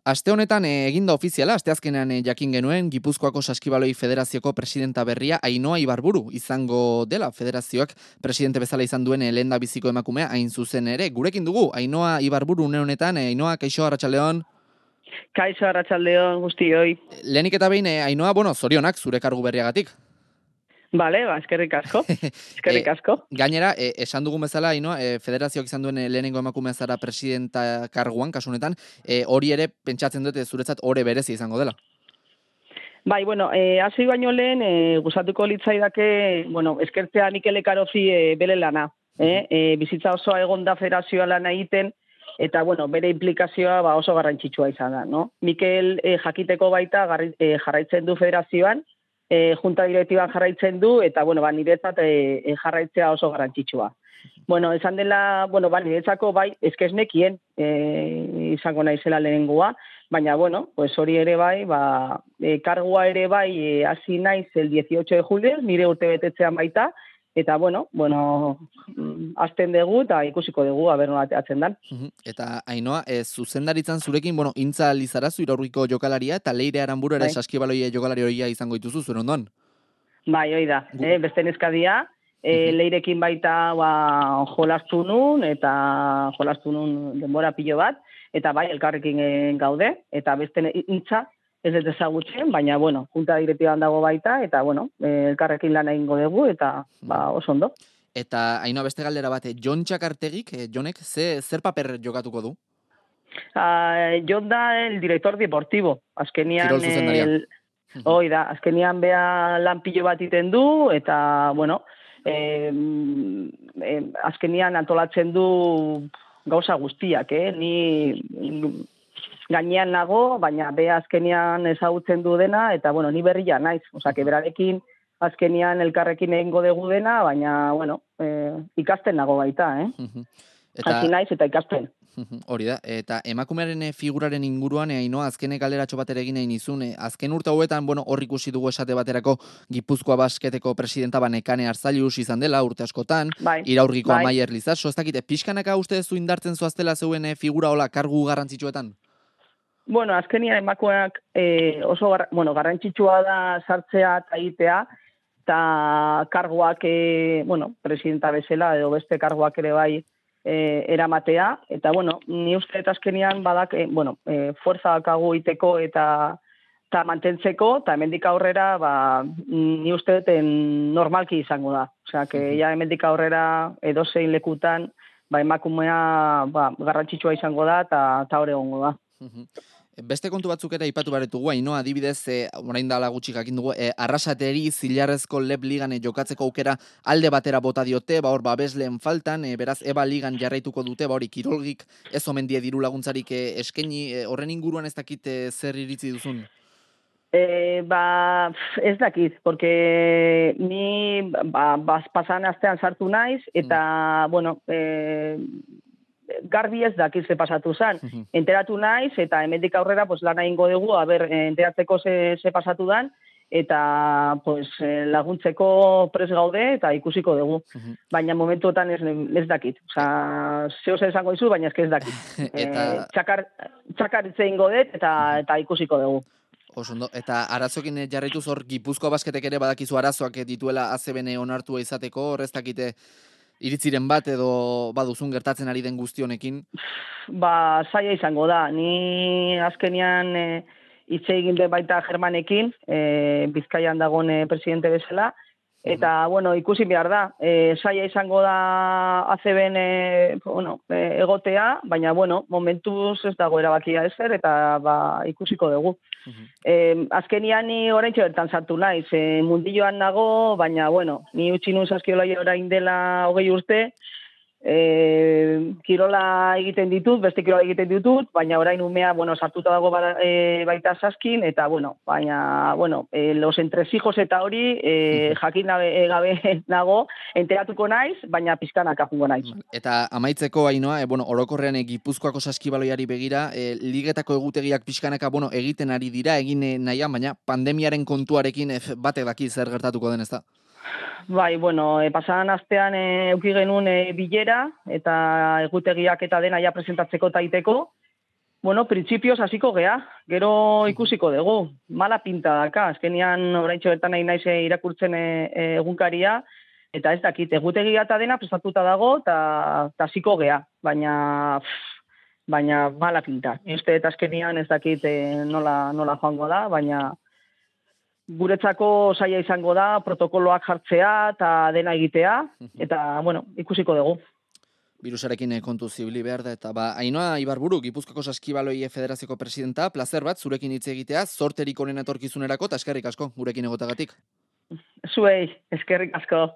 Aste honetan egin da ofiziala, asteazkenean jakin genuen Gipuzkoako Saskibaloi Federazioko presidenta berria Ainhoa Ibarburu izango dela. Federazioak presidente bezala izan duen lehendabiziko emakumea hain zuzen ere. Gurekin dugu Ainhoa Ibarburu une honetan. Ainhoa, kaixo, arratsaldeon. Kaixo, arratsaldeon guztioi. Lehenik eta behin, Ainhoa, zorionak zure kargu berriagatik. Bale, eskerrik asko. Eskerrik asko. Gainera, esan dugun bezala, Ainhoa, federazioak izan duen lehenengo emakumea zara presidenta karguan, kasu honetan, hori ere pentsatzen dute zuretzat ore berezi izango dela. Bai, hasi baino lehen, gustatuko litzaidake, eskertzea Mikel Ekarozi bere lana. Bizitza osoa egon da federazioa lana egiten, eta, bere implikazioa oso garrantzitsua izan da, no? Mikel jakiteko baita jarraitzen du federazioan, junta direktiban jarraitzen du, eta, niretzat jarraitzea oso garrantzitsua. Esan dela, niretzako bai, eskeznekien izango naizela lehenengoa, baina, hori ere bai, kargua ere bai, hasi naiz el 18 de julio, nire urte betetzean baita, eta, azten dugu eta ikusiko dugu, aber nola ateatzen dan. Eta, Ainhoa, zuzendaritzan zurekin, Intza Lizarazu iraurriko jokalaria, eta Leire Aranburu ere Saskibaloi jokalari horia izango dituzu, zure ondoan? Bai, hoi da, beste neskadia, Leirekin baita jolastu nun, eta jolastu nun denbora pilo bat, eta bai, elkarrekin gaude, eta beste Intza, ez dut ezagutzen, baina, junta direktiban dago baita, eta, elkarrekin lan egingo dugu, eta, oso ondo. Eta, Ainhoa, beste galdera bat, Jon Txakartegik, Jonek, zer paper jokatuko du? Jon da el director deportivo. Azkenian, Kirol zuzendaria. Hoi da, azkenian bea lan pilo bat iten du, eta, azkenian antolatzen du gauza guztiak, ni gainean nago, baina bea azkenian ezagutzen du dena, eta, ni berria naiz, berarekin azkenian elkarrekin egingo dugu dena, baina, ikasten nago baita, hasi naiz eta ikasten. Hori da, eta emakumearen figuraren inguruan, Ainhoa, azkenek galderatxo bat ere egin nahi nizun, azken urte hauetan, hor ikusi dugu esate baterako Gipuzkoa Basketeko presidenta Nekane Arzalius izan dela urte askotan, iraurgiko Amaier Lizaso, ez dakite, pixkanaka uste zu indartzen zoaztela zeuen figura hola kargu garrantzitsuetan? Azkenian emakumeak oso garrantzitsua da sartzea eta egitea, eta karguak, presidenta bezala, edo beste karguak ere bai eramatea, eta, ni uste eta azkenian badak, fuerza dakagu iteko eta mantentzeko, eta hemendik aurrera, ni uste normalki izango da. Osea, hemendik aurrera edozein lekutan, emakumea garrantzitsua izango da, eta hori egongo da. Beste kontu batzuk ere aipatu baretugu, Ainhoa, adibidez, orain dela gutxi jakin dugu, Arrasateri Zilarrezko Leb Ligan jokatzeko aukera alde batera bota diote, hor babesleen faltan, beraz Eba Ligan jarraituko dute, hori kirolgik ez omen die diru laguntzarik eskaini, horren inguruan ez dakit zer iritzi duzun? Ez dakit, porque ni pasan astean sartu naiz, eta, garbi ez dakit ze pasatu zen. Enteratu naiz, eta hemendik aurrera lana egingo dugu, enteratzeko ze pasatu dan, eta laguntzeko pres gaude, eta ikusiko dugu. Baina momentuotan ez dakit. Zeo zer esango dizu, baina ez dakit. Txakar itzein godet, eta ikusiko dugu. Osondo, eta arazokin jarraituz hor Gipuzkoa Basketek ere badakizu arazoak dituela ACBN onartua izateko, hor ez dakite iritziren bat edo baduzun gertatzen ari den guzti honekin? Zaila izango da. Ni azkenian hitz egin den baita Germanekin, Bizkaian dagoen presidente bezala, eta, ikusi behar da. Zaila izango da ACBN egotea, baina, momentuz ez dago erabakia ezer, eta ikusiko dugu. Azkenian ni oraintxe bertan sartu naiz, mundilloan nago, baina, ni utzi nun Saskibaloi orain dela 20 urte, kirola egiten ditut, beste kirola egiten ditut, baina orain umea, sartuta dago baita Saskin, eta, baina, los entresijos eta hori, jakin gabe nago, enteratuko naiz, baina pizkanaka jungo naiz. Eta amaitzeko, Ainhoa, orokorrean Gipuzkoako Saskibaloiari begira, ligetako egutegiak pizkanaka, egiten ari dira, egin nahian, baina pandemiaren kontuarekin batek daki zer gertatuko den, ez da? Bai, pasadan astean eduki genuen bilera, eta egutegiak eta dena ja presentatzeko taiteko, Bueno, printzipioz hasiko gea, gero ikusiko dugu. Mala pinta daka, azkenian oraintxo bertan nahi naiz irakurtzen egunkaria, eta ez dakit, egutegia eta dena prestatuta dago, eta hasiko gea, baina mala pinta. Ni uste eta azkenian ez dakit nola joango da, baina guretzako saia izango da protokoloak jartzea eta dena egitea, eta, bueno, ikusiko dugu. Birusarekin kontu zibili behar da, eta Ainhoa Ibarburu, Gipuzkoako Saskibaloi Federazioko presidenta, plazer bat, zurekin hitz egitea, zorterik honen etorkizunerako, eta eskerrik asko, gurekin egotagatik. Zuei, eskerrik asko.